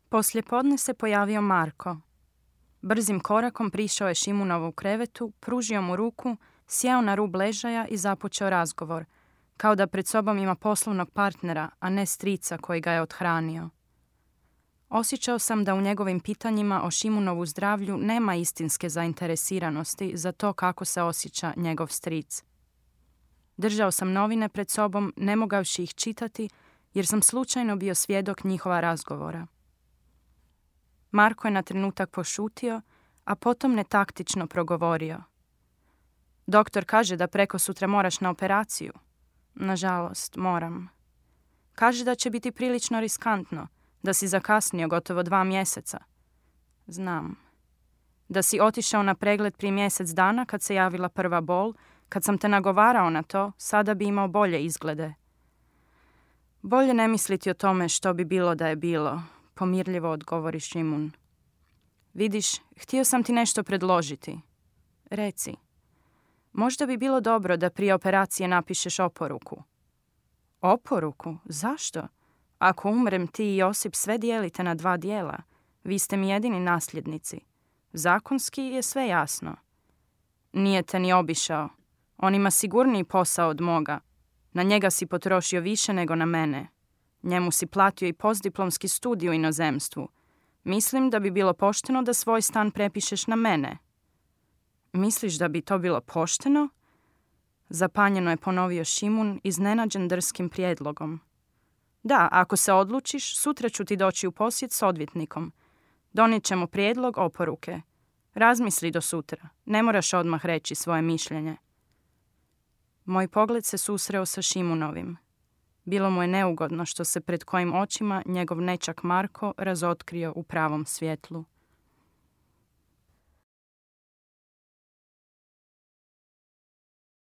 Poslijepodne se pojavio Marko. Brzim korakom prišao je Šimunovu krevetu, pružio mu ruku, sjeo na rub ležaja i započeo razgovor, kao da pred sobom ima poslovnog partnera, a ne strica koji ga je othranio. Osjećao sam da u njegovim pitanjima o Šimunovu zdravlju nema istinske zainteresiranosti za to kako se osjeća njegov stric. Držao sam novine pred sobom, ne mogavši ih čitati, jer sam slučajno bio svjedok njihova razgovora. Marko je na trenutak pošutio, a potom netaktično progovorio. Doktor kaže da prekosutra moraš na operaciju. Nažalost, moram. Kaže da će biti prilično riskantno, da si zakasnio gotovo 2 mjeseca. Znam. Da si otišao na pregled prije mjesec dana kad se javila prva bol, kad sam te nagovarao na to, sada bi imao bolje izglede. Bolje ne misliti o tome što bi bilo da je bilo, pomirljivo odgovori Šimun. Vidiš, htio sam ti nešto predložiti. Reci. Možda bi bilo dobro da prije operacije napišeš oporuku. Oporuku? Zašto? Ako umrem, ti i Josip sve dijelite na 2 dijela. Vi ste mi jedini nasljednici. Zakonski je sve jasno. Nije te ni obišao. On ima sigurniji posao od moga. Na njega si potrošio više nego na mene. Njemu si platio i postdiplomski studij u inozemstvu. Mislim da bi bilo pošteno da svoj stan prepišeš na mene. Misliš da bi to bilo pošteno? Zapanjeno je ponovio Šimun, iznenađen drskim prijedlogom. Da, ako se odlučiš, sutra ću ti doći u posjet s odvjetnikom. Donijet ćemo prijedlog oporuke. Razmisli do sutra. Ne moraš odmah reći svoje mišljenje. Moj pogled se susreo sa Šimunovim. Bilo mu je neugodno što se pred kojim očima njegov nečak Marko razotkrio u pravom svjetlu.